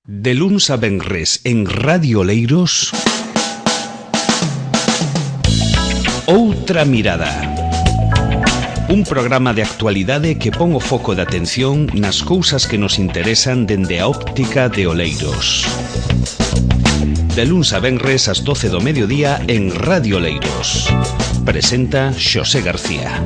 De luns a venres en Radio Oleiros, Outra Mirada. Un programa de actualidade que pon o foco de atención nas cousas que nos interesan dende a óptica de Oleiros. De luns a venres ás 12 do mediodía en Radio Oleiros. Presenta Xosé García.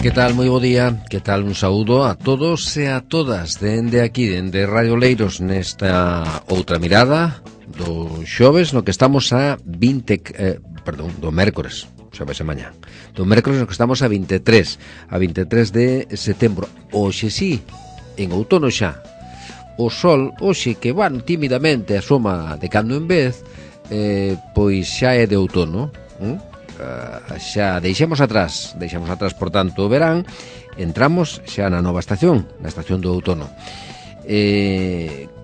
Que tal, moi bo día, que tal, un saúdo a todos e a todas dende aquí, dende Radio Oleiros, nesta outra mirada do xoves, no que estamos a do mércores, xoves e mañá, do mércores no que estamos a 23 de setembro. Hoxe sí, en outono xa, o sol, hoxe que van tímidamente asoma de cando en vez, pois xa é de outono, xa deixemos atrás por tanto o verán, entramos xa na nova estación, na estación do outono,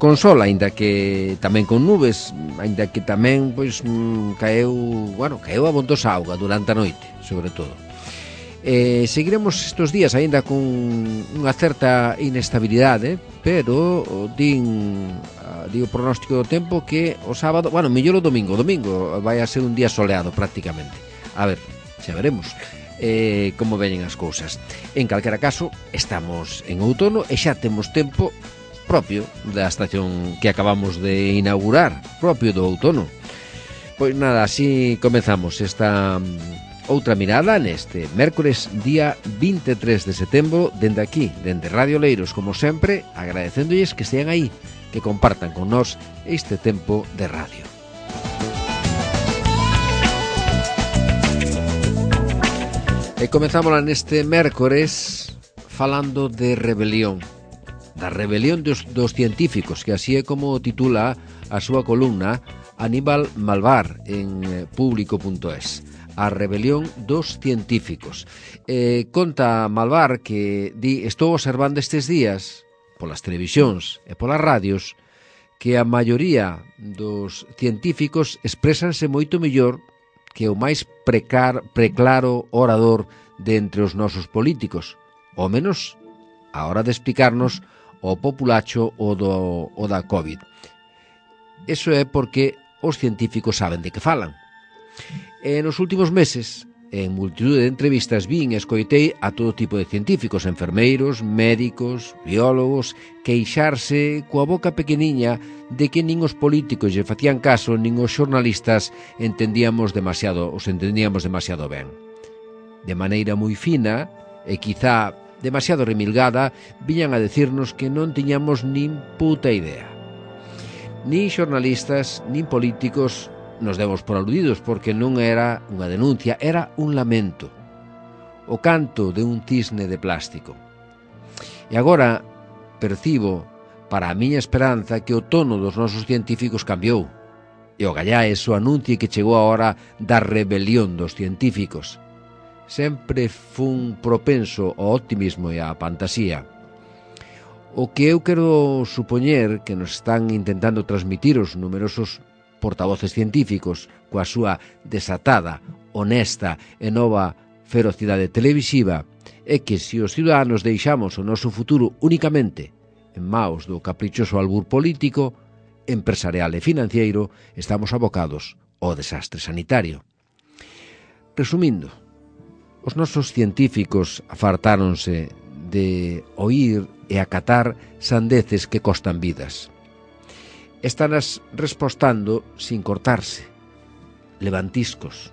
con sol, aínda que tamén con nubes, aínda que tamén pois caeu abondosa auga durante a noite, sobre todo. Seguiremos estes días aínda con unha certa inestabilidade, pero din o pronóstico do tempo que o sábado, mellor o domingo vai a ser un día soleado prácticamente. A ver, xa veremos como veñen as cousas. En calquera caso, estamos en outono e xa temos tempo propio da estación que acabamos de inaugurar, propio do outono. Pois nada, así comezamos esta outra mirada neste mércores día 23 de setembro, dende aquí, dende Radio Oleiros, como sempre, agradecéndolles que estean aí, que compartan con nós este tempo de radio. E comezamos neste mércores falando de rebelión, da rebelión dos científicos, que así é como titula a súa columna Aníbal Malvar en público.es. A rebelión dos científicos. Conta Malvar que estou observando estes días polas televisións e polas radios que a maioría dos científicos expresanse moito mellor que o máis preclaro orador de entre os nosos políticos, ao menos a hora de explicarnos o populacho o da COVID. Eso é porque os científicos saben de que falan. Nos últimos meses, en multitud de entrevistas vin e escoitei a todo tipo de científicos, enfermeiros, médicos, biólogos, queixarse coa boca pequeniña de que nin os políticos lle facían caso, nin os xornalistas os entendíamos demasiado ben. De maneira moi fina e quizá demasiado remilgada, viñan a decirnos que non tiñamos nin puta idea. Nin xornalistas, nin políticos nos demos por aludidos, porque non era unha denuncia, era un lamento, o canto de un cisne de plástico. E agora percibo, para a miña esperanza, que o tono dos nosos científicos cambiou, e o gallais o anuncie que chegou a hora da rebelión dos científicos. Sempre fun propenso ao optimismo e á fantasía. O que eu quero supoñer que nos están intentando transmitir os numerosos portavoces científicos coa súa desatada, honesta e nova ferocidade televisiva é que se os ciudadanos deixamos o noso futuro únicamente en maos do caprichoso albur político, empresarial e financiero, estamos abocados ao desastre sanitario. Resumindo, os nosos científicos afartáronse de oír e acatar sandeces que costan vidas. Estanas respostando sin cortarse, levantiscos,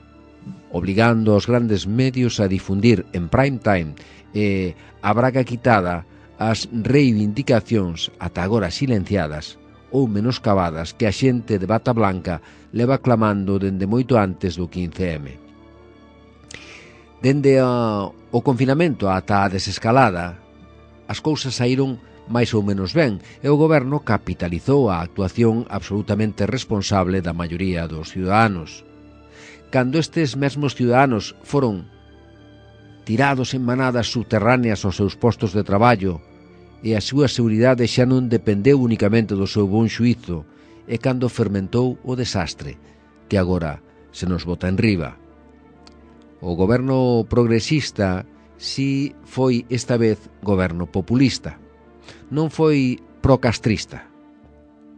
obligando aos grandes medios a difundir en prime time e a braga quitada as reivindicacións ata agora silenciadas ou menoscabadas que a xente de bata blanca leva clamando dende moito antes do 15M. Dende o confinamento ata a desescalada, as cousas saíron máis ou menos ben, e o goberno capitalizou a actuación absolutamente responsable da maioría dos ciudadanos. Cando estes mesmos ciudadanos foron tirados en manadas subterráneas aos seus postos de traballo e a súa seguridade xa non dependeu únicamente do seu bon xuízo, e cando fermentou o desastre que agora se nos bota enriba. O goberno progresista si foi esta vez goberno populista. Non foi procastrista,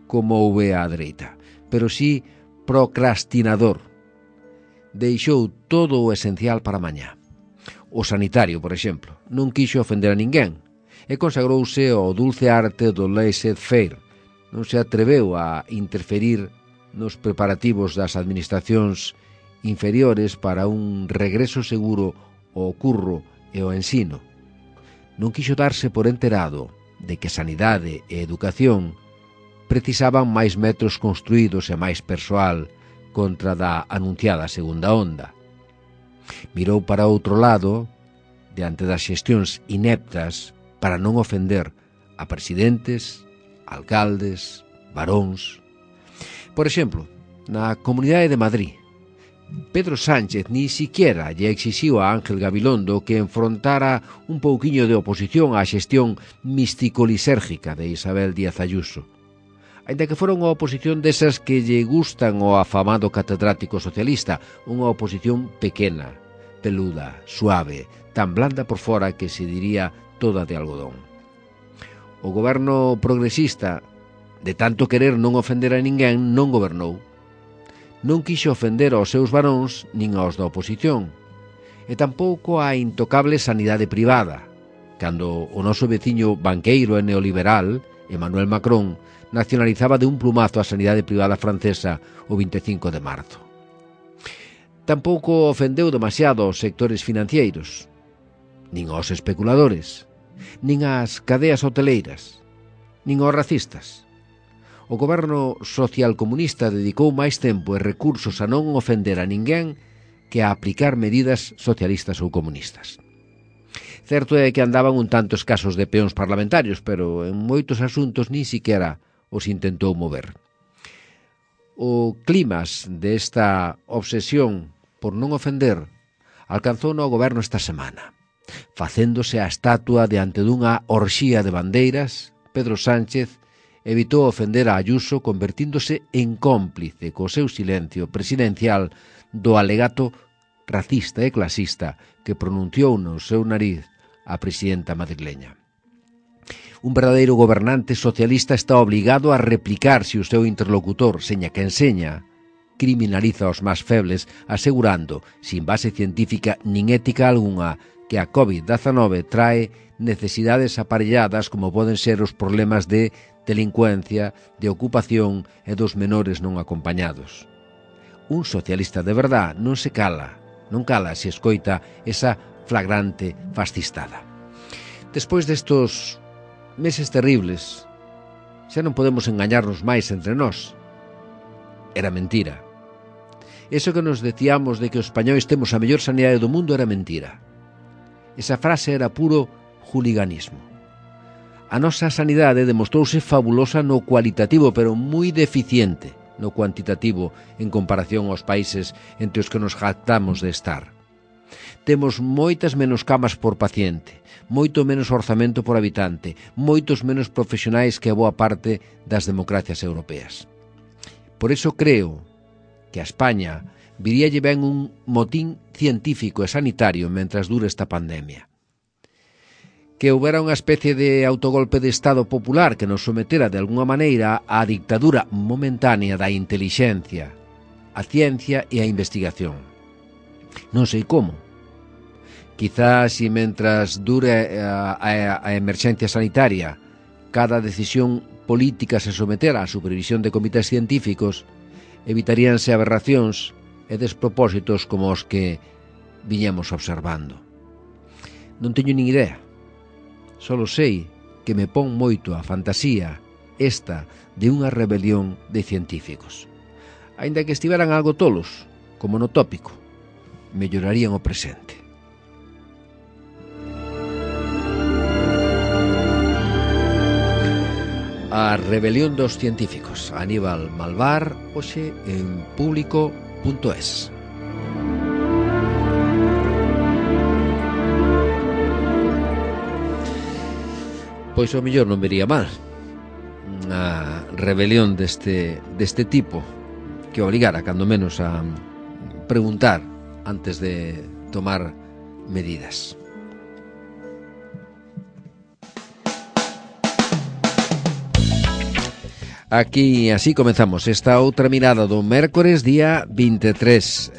como houve á dereita, pero si procrastinador. Deixou todo o esencial para mañá. O sanitario, por exemplo, non quixo ofender a ninguén e consagrouse ao dulce arte do laissez-faire. Non se atreveu a interferir nos preparativos das administracións inferiores para un regreso seguro ao curro e ao ensino. Non quixo darse por enterado de que sanidade e educación precisaban máis metros construídos e máis persoal contra da anunciada segunda onda. Mirou para outro lado, diante das xestións ineptas, para non ofender a presidentes, alcaldes, baróns. Por exemplo, na Comunidade de Madrid, Pedro Sánchez ni siquiera lle exixiu a Ángel Gabilondo que enfrontara un pouquiño de oposición á xestión místico-lisérgica de Isabel Díaz Ayuso. Ainda que fora unha oposición desas que lle gustan ao afamado catedrático socialista, unha oposición pequena, peluda, suave, tan blanda por fora que se diría toda de algodón. O goberno progresista, de tanto querer non ofender a ninguén, non gobernou. Non quixo ofender aos seus varóns nin aos da oposición, e tampouco a intocable sanidade privada, cando o noso veciño banqueiro e neoliberal, Emmanuel Macron, nacionalizaba de un plumazo a sanidade privada francesa o 25 de marzo. Tampouco ofendeu demasiado aos sectores financeiros, nin aos especuladores, nin ás cadeas hoteleiras, nin aos racistas. O goberno socialcomunista dedicou máis tempo e recursos a non ofender a ninguén que a aplicar medidas socialistas ou comunistas. Certo é que andaban un tanto escasos de peóns parlamentarios, pero en moitos asuntos nin siquiera os intentou mover. O clímax desta obsesión por non ofender alcanzou no goberno esta semana. Facéndose a estatua diante dunha orxía de bandeiras, Pedro Sánchez evitou ofender a Ayuso convertíndose en cómplice co seu silencio presidencial do alegato racista e clasista que pronunciou no seu nariz a presidenta madrileña. Un verdadeiro gobernante socialista está obligado a replicar se o seu interlocutor, seña que enseña, criminaliza os máis febles, asegurando, sin base científica nin ética algunha, que a COVID-19 trae necesidades aparelladas como poden ser os problemas de delincuencia, de ocupación e dos menores non acompañados. Un socialista de verdad non se cala, non cala se escoita esa flagrante fascistada. Despois destos meses terribles, xa non podemos engañarnos máis entre nós. Era mentira. Eso que nos decíamos de que os españois temos a mellor sanidade do mundo era mentira. Esa frase era puro juliganismo. A nosa sanidade demostrouse fabulosa no cualitativo, pero moi deficiente no cuantitativo en comparación aos países entre os que nos jactamos de estar. Temos moitas menos camas por paciente, moito menos orzamento por habitante, moitos menos profesionais que a boa parte das democracias europeas. Por iso creo que a España viríalle ben un motín científico e sanitario mentras dure esta pandemia. Que houbera unha especie de autogolpe de Estado popular que nos sometera de alguna maneira á dictadura momentánea da intelixencia, a ciencia e a investigación. Non sei como. Quizás se mentras dure a emerxencia sanitaria cada decisión política se sometera á supervisión de comités científicos, evitaríanse aberracións e despropósitos como os que viñemos observando. Non teño nin idea. Solo sei que me pon moito a fantasía esta de unha rebelión de científicos. Aínda que estiveran algo tolos, como no tópico, mellorarían o presente. A rebelión dos científicos. Aníbal Malvar, hoxe en público.es. Pois o mellor non vería mal unha rebelión deste tipo que obligara, cando menos, a preguntar antes de tomar medidas. Aquí así comenzamos esta outra mirada do mércores día 23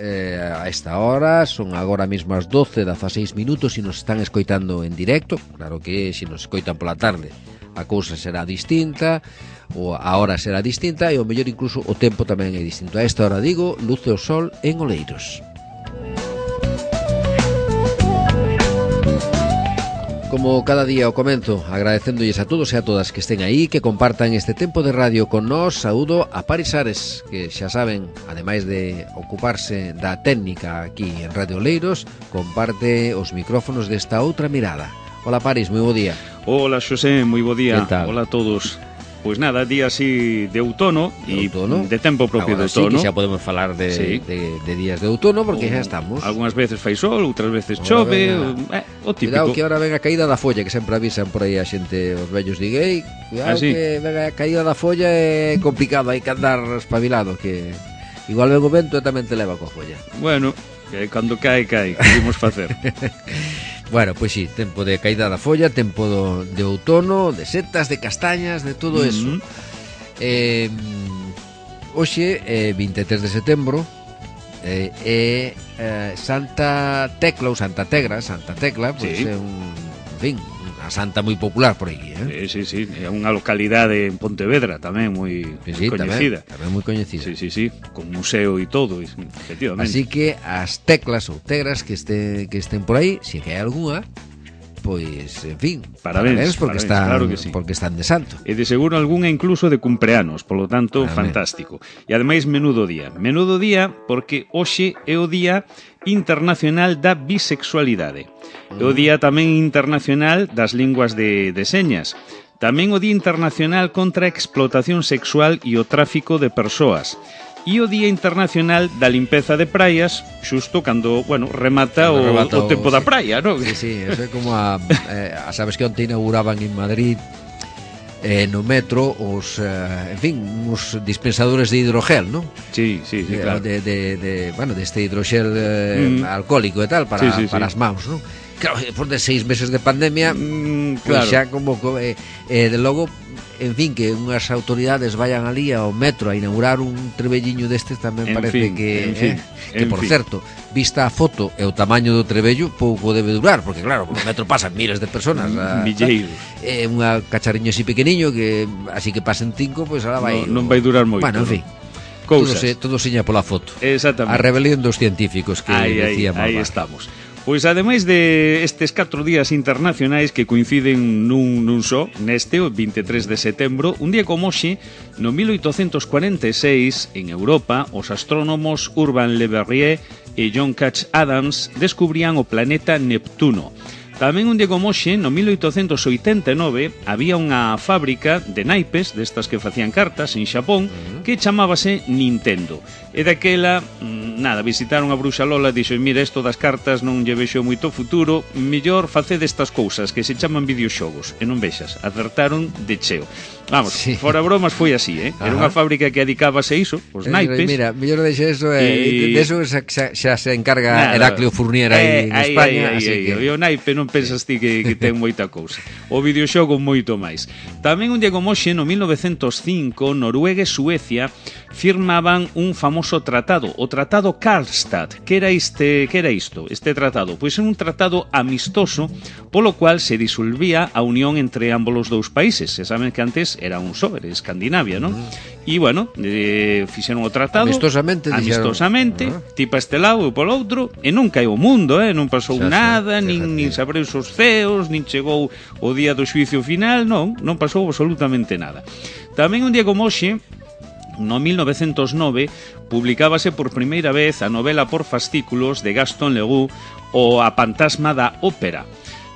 a esta hora, son agora mesmo as 12:16 minutos. Se nos están escoitando en directo, claro que se nos escoitan pola tarde a cousa será distinta, ou a hora será distinta, e o mellor incluso o tempo tamén é distinto. A esta hora digo, luce o sol en Oleiros. Como cada día o comenzo, agradecéndolles a todos e a todas que estén aí, que compartan este tempo de radio con nós. Saúdo a Paris Ares, que xa saben, ademais de ocuparse da técnica aquí en Radio Oleiros, comparte os micrófonos desta outra mirada. Hola Paris, moi bo día. Hola Xosé, moi bo día. Hola a todos. Pois nada, día así de outono e de tempo propio de outono. Sí, que xa podemos falar de días de outono porque xa estamos. Algúnas veces fai sol, outras veces chove, o típico. Cuidado que ahora ven a caída da folla, que sempre avisan por aí a xente, os vellos diguei, cuidado que ven a caída da folla é complicado, hai que andar espabilado, que igual ven o vento e tamén te leva coa folla. Bueno, que cando cae, que imos facer? Bueno, pois sí, tempo de caída da folla, tempo de outono, de setas, de castañas, de todo eso. Hoxe, 23 de setembro, é Santa Tecla ou Santa Tecla, pois é unha santa moi popular por aí, Sí, é unha localidade en Pontevedra tamén moi coñecida. Tamén moi coñecida. Sí, con museo e todo, efectivamente. Así que as teclas ou tegras que estén por aí, se que hai algunha, pois, en fin, parabéns porque están de santo. E de seguro algunha incluso de cumpleanos, polo tanto, fantástico. E ademais menudo día porque hoxe é o Día Internacional da Bisexualidade. É o Día tamén internacional das linguas de señas. Tamén o Día Internacional contra a explotación sexual e o tráfico de persoas. E o Día Internacional da Limpeza de Praias, xusto cando, remata o tempo da praia, non? Sí, eso é como sabes que onte inauguraban en Madrid no metro os dispensadores de hidrogel, non? Sí, claro. Deste hidrogel alcohólico e tal para as mãos, non? Claro, despois de 6 meses de pandemia, pois xa como de logo, en fin, que unhas autoridades vayan ali ao metro a inaugurar un trebelliño destes tamén parece que por certo, vista a foto e o tamaño do trebello, pouco debe durar, porque claro, no metro pasan miles de personas, milleiros. Unha cacharriño así pequeniño que así que pasen 5, pois ahora vai. Non vai durar moito. Bueno, en fin. Todo seña pola foto. Exactamente. A rebelión dos científicos que decíamos. Aí estamos. Pois ademais de estes 4 días internacionais que coinciden nun só, neste, o 23 de setembro, un día como hoxe, no 1846, en Europa, os astrónomos Urbain Le Verrier e John Couch Adams descubrían o planeta Neptuno. Tamén un día como hoxe, no 1889, había unha fábrica de naipes, destas que facían cartas, en Xapón, que chamábase Nintendo. E daquela, visitaron a Bruxa Lola e dixo, mira, isto das cartas non lle vexo moito futuro, mellor facede estas cousas que se chaman videoxogos. E non vexas, acertaron de cheo. Vamos, fora bromas foi así, Era unha fábrica que dedicábase a iso, os naipes. Mira, mellor deixe eso, de eso xa se encarga Heraclio Fournier aí en España. E o naipe non pensas ti que ten moita cousa. O videoxogo moito máis. Tamén un día como hoxe, no 1905, Noruega e Suecia firmaban un famoso tratado, o Tratado Karlstad. Que era isto? Este tratado? Pois era un tratado amistoso polo cual se disolvía a unión entre ambos os dous países. Se saben que antes era un só, era Escandinavia, non? E, fixeron o tratado amistosamente, ti pa este lado e polo outro, e non caeu o mundo, non pasou nada, nin se abriu os ceos, nin chegou o día do xuicio final, non pasou absolutamente nada. Tamén un día como hoxe, no 1909, publicábase por primeira vez a novela por fascículos de Gaston Leroux, o A Fantasma da Ópera.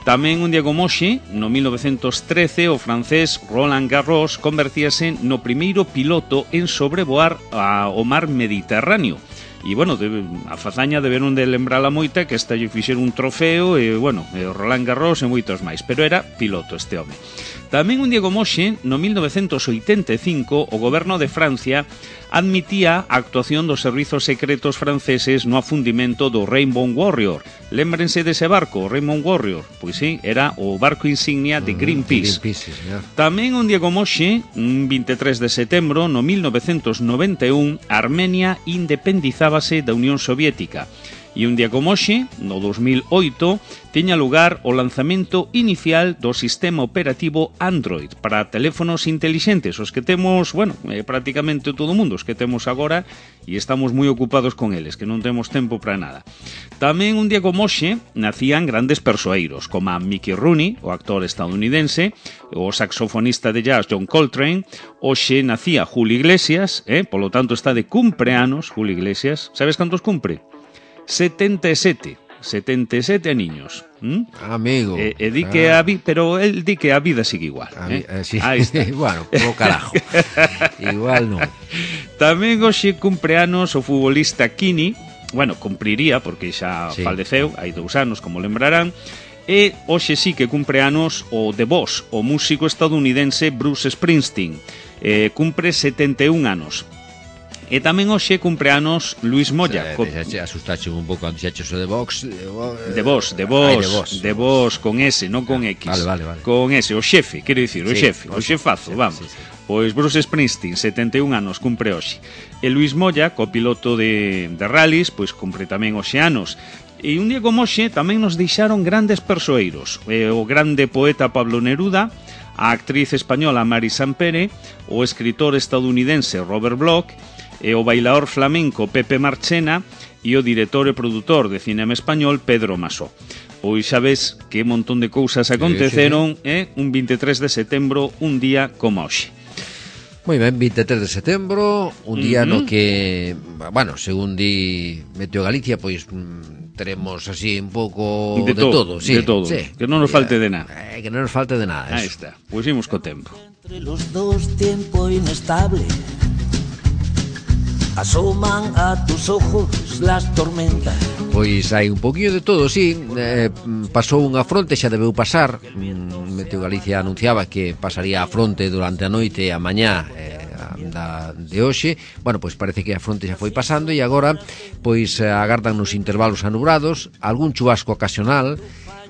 Tamén un día como hoxe, no 1913, o francés Roland Garros convertíase no primeiro piloto en sobrevoar o mar Mediterráneo. E, a fazaña deberon de lembrala moita, que esta lle fixeron un trofeo, e, o Roland Garros e moitos máis. Pero era piloto este home. Tamén un día como hoxe, no 1985, o goberno de Francia admitía a actuación dos servizos secretos franceses no afundimento do Rainbow Warrior. Lémbrense dese barco, o Rainbow Warrior? Pois sí, era o barco insignia de Greenpeace. Tamén un día como hoxe, 23 de setembro, no 1991, Armenia independizábase da Unión Soviética. E un día como hoxe, no 2008, tiña lugar o lanzamento inicial do sistema operativo Android para teléfonos intelixentes, os que temos, bueno, prácticamente todo o mundo, os que temos agora, e estamos moi ocupados con eles, que non temos tempo para nada. Tamén un día como hoxe, nacían grandes persoeiros, como a Mickey Rooney, o actor estadounidense, o saxofonista de jazz John Coltrane. Hoxe nacía Julio Iglesias, polo tanto está de cumpleanos Julio Iglesias. Sabes cantos cumpre? 77 aniños. Amigo. Di que pero él di que a vida sigue igual. Sí. Ahí está. Bueno, como carajo. Igual non. Tamén hoxe cumpleanos o futbolista Kini. Bueno, cumpriría porque xa faleceu hai 2 anos, como lembrarán. E hoxe sí que cumpleanos o The Boss, o músico estadounidense Bruce Springsteen. Cumpre 71 anos. E tamén hoxe cumpleanos Luis Moya. Asustache un pouco cando dixeches o de Vox. De Vox, con S, non con X. Vale. Con S, o xefe, quero dicir, o xefazo, vamos. Sí. Pois Bruce Springsteen, 71 anos, cumpre hoxe. E Luis Moya, copiloto de rallies, pois cumpre tamén hoxe anos. E un día como hoxe tamén nos deixaron grandes persoeiros. O grande poeta Pablo Neruda, a actriz española Mari Sampere, o escritor estadounidense Robert Bloch, e o bailador flamenco Pepe Marchena e o director e produtor de cinema español Pedro Masó. Pois xa ves que un montón de cousas aconteceron un 23 de setembro, un día como hoxe. Moi ben, 23 de setembro, un día no que, bueno, según di Meteo Galicia, pois teremos así un pouco de todo, sí, de todo, sí. Que non nos falte de nada. Que non nos falte de nada. Aí está, pois imos co tempo. Entre los dos tiempo inestable asoman a tus ojos las tormentas. Pois hai un poquinho de todo, sí. Pasou unha fronte, xa debeu pasar. Meteo Galicia anunciaba que pasaría a fronte durante a noite e a mañá de hoxe. Bueno, pois parece que a fronte xa foi pasando e agora pois agardan nos intervalos anubrados, algún chubasco ocasional.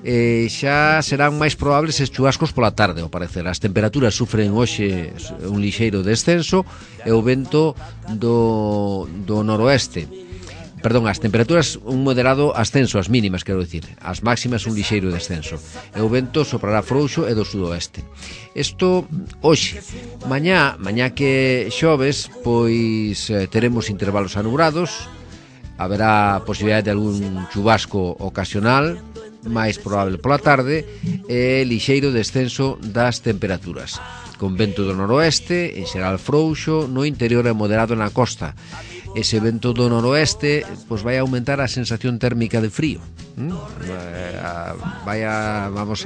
Xa serán máis probables estes chubascos pola tarde, ao parecer. As temperaturas sufren hoxe un lixeiro descenso e o vento do noroeste. Perdón, as temperaturas un moderado ascenso, as mínimas, quero dicir. As máximas un lixeiro descenso. E o vento soprará frouxo e do sudoeste. Isto hoxe. Mañá que xoves, pois teremos intervalos anubrados. Haberá posibilidade de algún chubasco ocasional, máis probable pola tarde, e lixeiro descenso das temperaturas, con vento do noroeste, en xeral frouxo, no interior e moderado na costa. Ese vento do noroeste pois vai aumentar a sensación térmica de frío.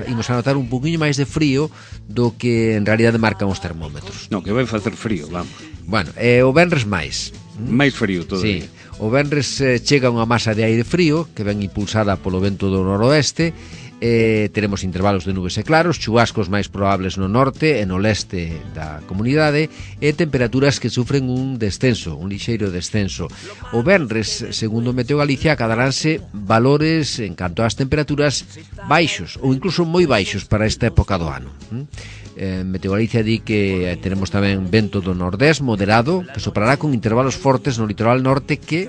Imos a notar un poquinho máis de frío do que en realidade marcan os termómetros. Non, que vai facer frío, vamos. Bueno, o venres máis. Máis frío todo. Sí. O venres chega unha masa de aire frío que ven impulsada polo vento do noroeste. Teremos intervalos de nubes e claros, chubascos máis probables no norte e no leste da comunidade e temperaturas que sufren un descenso, un lixeiro descenso. O venres, segundo Meteo Galicia, acadaránse valores en canto ás temperaturas baixos ou incluso moi baixos para esta época do ano. Meteo Galicia di que teremos tamén vento do nordés moderado que soprará con intervalos fortes no litoral norte que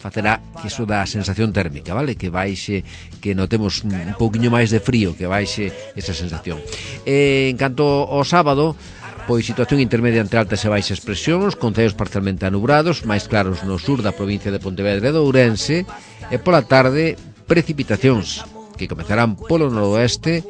facerá que iso da sensación térmica, vale? Que baixe, que notemos un pouquiño máis de frío, que baixe esa sensación. En canto ao sábado, pois situación intermedia entre altas e baixas presións, con ceos parcialmente anubrados, máis claros no sur da provincia de Pontevedra e de Ourense, e pola tarde precipitacións que comezarán polo noroeste.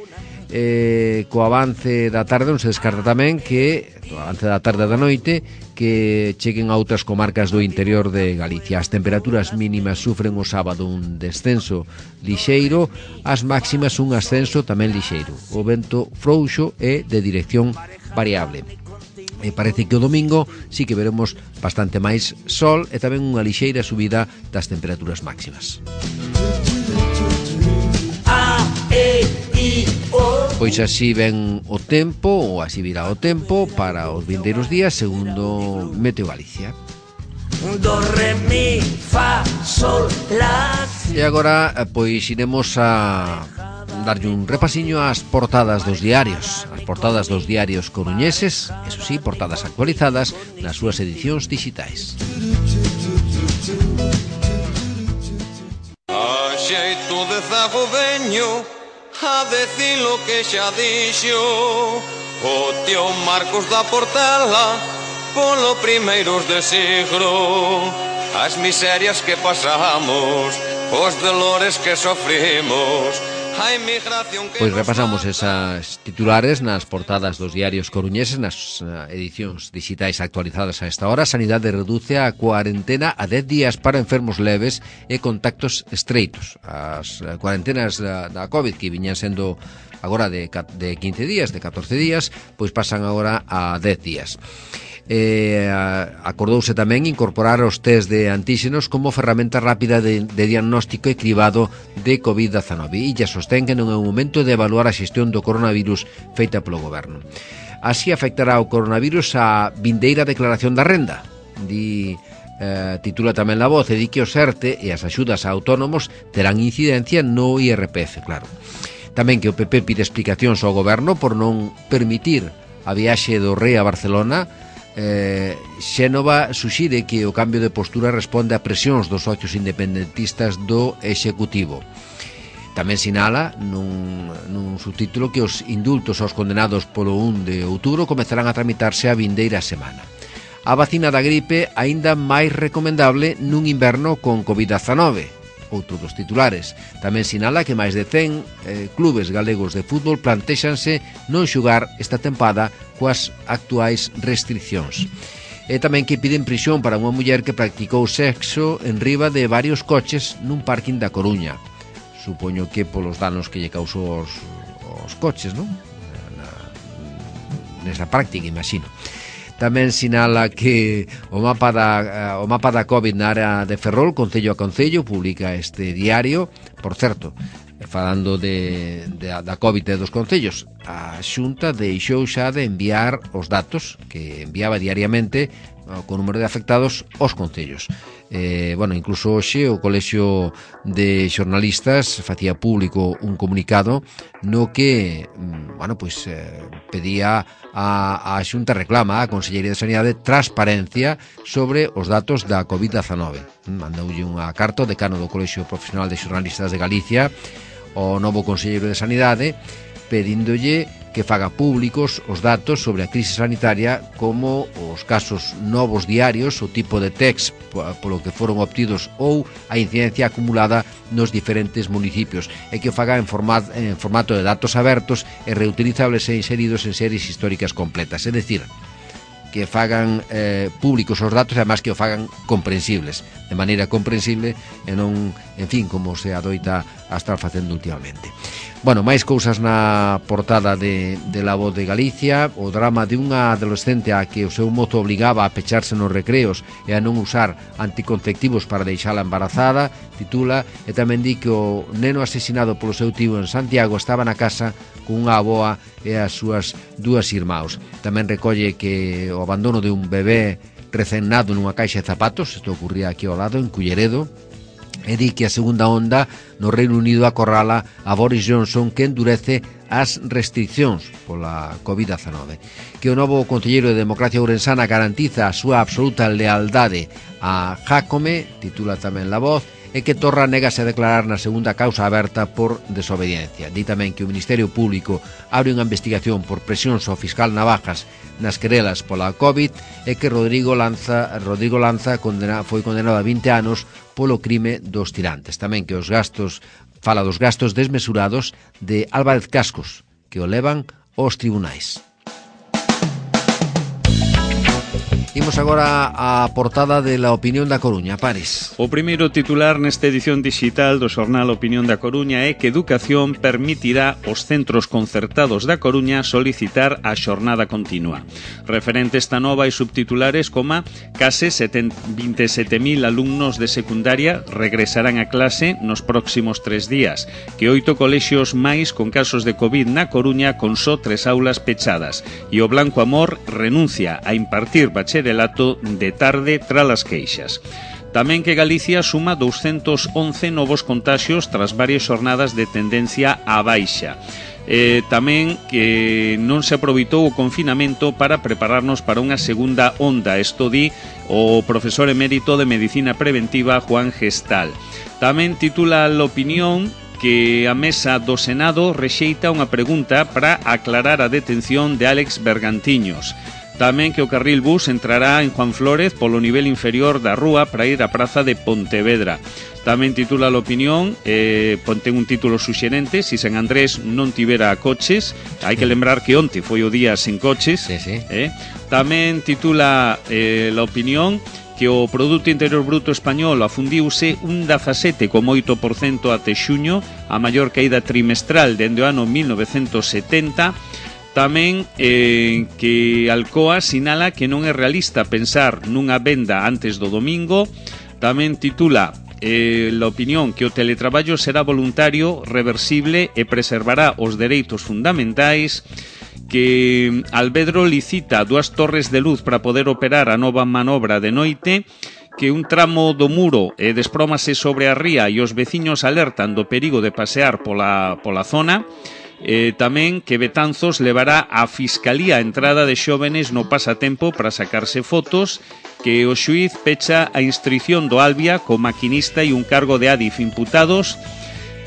Co avance da tarde non se descarta tamén que o avance da tarde da noite que cheguen a outras comarcas do interior de Galicia. As temperaturas mínimas sufren o sábado un descenso lixeiro, as máximas un ascenso tamén lixeiro. O vento frouxo é de dirección variable. E parece que o domingo sí que veremos bastante máis sol e tamén unha lixeira subida das temperaturas máximas. A, E, I Pois así ven o tempo, ou así virá o tempo para os vindeiros días, segundo Meteo Galicia. Do, re, mi, fa, sol, la. E agora, pois, iremos a darlle un repasiño ás portadas dos diarios. As portadas dos diarios coruñeses, eso sí, portadas actualizadas nas súas edicións digitais. A xeito de zago veño a decir lo que xa dixo o tío Marcos da Portela polo primeiros de siglo. As miserias que pasamos, os dolores que sofrimos, a inmigración que... Pois repasamos esas titulares nas portadas dos diarios coruñeses, nas edicións digitais actualizadas a esta hora. Sanidade reduce a cuarentena a 10 días para enfermos leves e contactos estreitos. As cuarentenas da COVID, que viñan sendo agora de 15 días, de 14 días, pois pasan agora a 10 días. Acordouse tamén incorporar os test de antíxenos como ferramenta rápida de diagnóstico e cribado de COVID-19 e ya sostén que non é o momento de evaluar a xestión do coronavirus feita polo goberno. Así afectará o coronavirus a vindeira declaración da renda, titula tamén La Voz, e di que o ERTE e as axudas a autónomos terán incidencia no IRPF, claro. Tamén que o PP pide explicacións ao goberno por non permitir a viaxe do rei a Barcelona. Xénova suxire que o cambio de postura responde a presións dos socios independentistas do Executivo. Tamén sinala nun subtítulo que os indultos aos condenados polo 1 de outubro comezarán a tramitarse a vindeira semana. A vacina da gripe aínda máis recomendable nun inverno con COVID-19. Outro dos titulares. Tamén sinala que máis de 100 clubes galegos de fútbol plantéxanse non xugar esta tempada coas actuais restriccións. E tamén que piden prisión para unha muller que practicou sexo en riba de varios coches nun parking da Coruña. Supoño que polos danos que lle causou os coches, non? Nesa práctica, imagino. Tamén sinala que o mapa da COVID na área de Ferrol, concello a concello, publica este diario. Por certo, falando da COVID e dos concellos, a Xunta deixou xa de enviar os datos que enviaba diariamente co número de afectados aos concellos. Incluso hoxe o Colexio de Xornalistas facía público un comunicado no que pedía a Xunta, reclama a Consellería de Sanidade transparencia sobre os datos da COVID-19. Mandoulle unha carta ao decano do Colexio Profesional de Xornalistas de Galicia, o novo Conselleiro de Sanidade, pedíndolle que faga públicos os datos sobre a crise sanitaria, como os casos novos diarios, o tipo de test polo que foron obtidos ou a incidencia acumulada nos diferentes municipios, e que o faga en formato de datos abertos e reutilizables e inseridos en series históricas completas. É dicir, que fagan públicos os datos, además que o fagan comprensibles, de maneira comprensible e non, en fin, como se adoita a estar facendo últimamente. Máis cousas na portada de La Voz de Galicia. O drama de unha adolescente a que o seu mozo obligaba a pecharse nos recreos e a non usar anticonceptivos para deixala embarazada, titula, e tamén di que o neno asesinado polo seu tío en Santiago estaba na casa con unha avoa e as súas dúas irmãos. Tamén recolle que o abandono de un bebé recén nado nunha caixa de zapatos, isto ocurría aquí ao lado, en Culleredo, e di que a segunda onda no Reino Unido acorrala a Boris Johnson, que endurece as restriccións pola COVID-19. Que o novo concelleiro de Democracia Ourensana garantiza a súa absoluta lealdade a Jácome, titula tamén La Voz, e que Torra negase a declarar na segunda causa aberta por desobediencia. Di tamén que o Ministerio Público abre unha investigación por presións ao fiscal Navajas nas querelas pola COVID, e que Rodrigo Lanza foi condenado a 20 anos polo crime dos tirantes. Tamén que fala dos gastos desmesurados de Álvarez Cascos, que o levan aos tribunais. Imos agora á portada de La Opinión da Coruña. Pares. O primeiro titular nesta edición digital do xornal Opinión da Coruña é que Educación permitirá aos centros concertados da Coruña solicitar a xornada continua. Referente esta nova e subtitulares coma case 27.000 alumnos de secundaria regresarán a clase nos próximos 3 días, que 8 colexios máis con casos de COVID na Coruña con só 3 aulas pechadas, e o Blanco Amor renuncia a impartir bacharelato de tarde tras as queixas. Tamén que Galicia suma 211 novos contaxios tras varias xornadas de tendencia á baixa. Tamén que non se aproveitou o confinamento para prepararnos para unha segunda onda. Isto di o profesor emérito de Medicina Preventiva Juan Gestal. Tamén titula a Opinión que a mesa do Senado rexeita unha pregunta para aclarar a detención de Álex Bergantiños. Tamén que o carril bus entrará en Juan Flórez polo nivel inferior da rúa para ir á praza de Pontevedra. Tamén titula a Opinión, ten un título suxerente, si San Andrés non tivera coches. Hai que lembrar que onte foi o día sen coches. Sí. Tamén titula a Opinión que o Produto Interior Bruto español afundiuse un 17,8% até xuño, a maior caída trimestral dende o ano 1970. Tamén que Alcoa sinala que non é realista pensar nunha venda antes do domingo. Tamén titula a Opinión que o teletraballo será voluntario, reversible e preservará os dereitos fundamentais. Que Alvedro licita 2 torres de luz para poder operar a nova manobra de noite. Que un tramo do muro desprómase sobre a ría e os veciños alertan do perigo de pasear pola zona. Tamén que Betanzos levará a Fiscalía a entrada de xóvenes no pasatempo para sacarse fotos. Que o xuíz pecha a instrución do Albia co maquinista e un cargo de Adif imputados.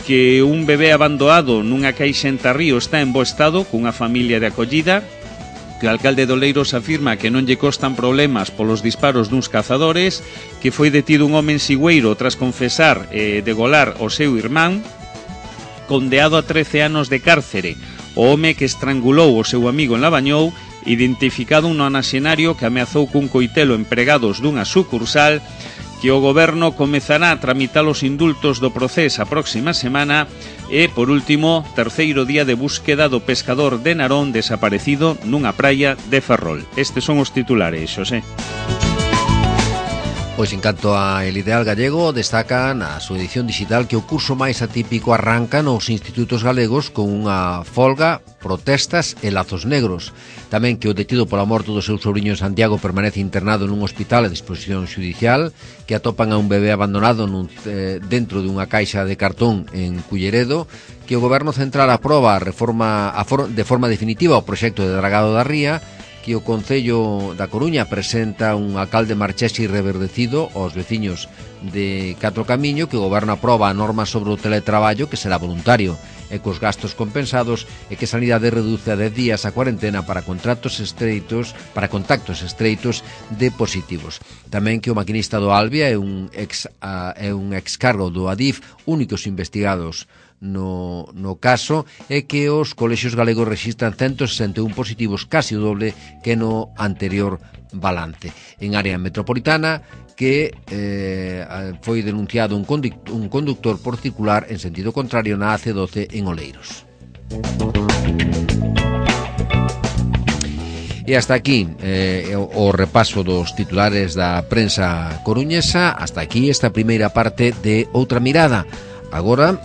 Que un bebé abandonado nunha caixa en Tarrío está en bo estado cunha familia de acollida. Que o alcalde de Oleiros afirma que non lle costan problemas polos disparos duns cazadores. Que foi detido un home en Sigüeiro tras confesar degolar o seu irmán. Condeado a 13 anos de cárcere o home que estrangulou o seu amigo en Lavañou, identificado un nonaxenario que ameazou cun coitelo empregados dunha sucursal. Que o goberno comezará a tramitar os indultos do procés a próxima semana. E, por último, terceiro día de búsqueda do pescador de Narón desaparecido nunha praia de Ferrol. Estes son os titulares, Xosé. Pois en canto a El Ideal Gallego, destaca na súa edición digital que o curso máis atípico arranca nos institutos galegos con unha folga, protestas e lazos negros. Tamén que o detido pola morte do seu sobrinho en Santiago permanece internado nun hospital a disposición xudicial, que atopan a un bebé abandonado dentro dunha caixa de cartón en Culleredo, que o Goberno Central aproba de forma definitiva o proxecto de dragado da ría, que o Concello da Coruña presenta un alcalde marchés e reverdecido aos veciños de Catro Camiño, que o Goberno aproba a norma sobre o teletraballo que será voluntario e cos gastos compensados, e que Sanidade reduce a 10 días a cuarentena para contactos estreitos de positivos. Tamén que o maquinista do Albia é un excargo do Adif, únicos investigados no caso, é que os colexios galegos rexistran 161 positivos, casi o doble que no anterior balance. En área metropolitana, que foi denunciado un conductor por circular en sentido contrario na AC12 en Oleiros. E hasta aquí o repaso dos titulares da prensa coruñesa. Hasta aquí esta primeira parte de Outra Mirada. Agora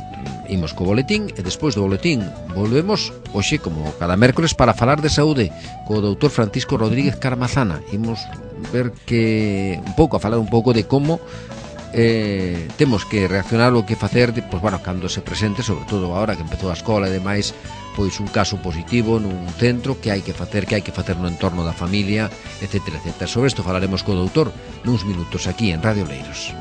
imos co boletín e despois do boletín volvemos hoxe como cada mércores para falar de saúde co doutor Francisco Rodríguez Carmazana. Imos ver falar un pouco de como temos que reaccionar o que facer cando se presente, sobre todo agora que empezou a escola e demais, pois un caso positivo nun centro, que hai que facer no entorno da familia, etcétera, etcétera. Sobre isto falaremos co doutor nuns minutos aquí en Radio Oleiros.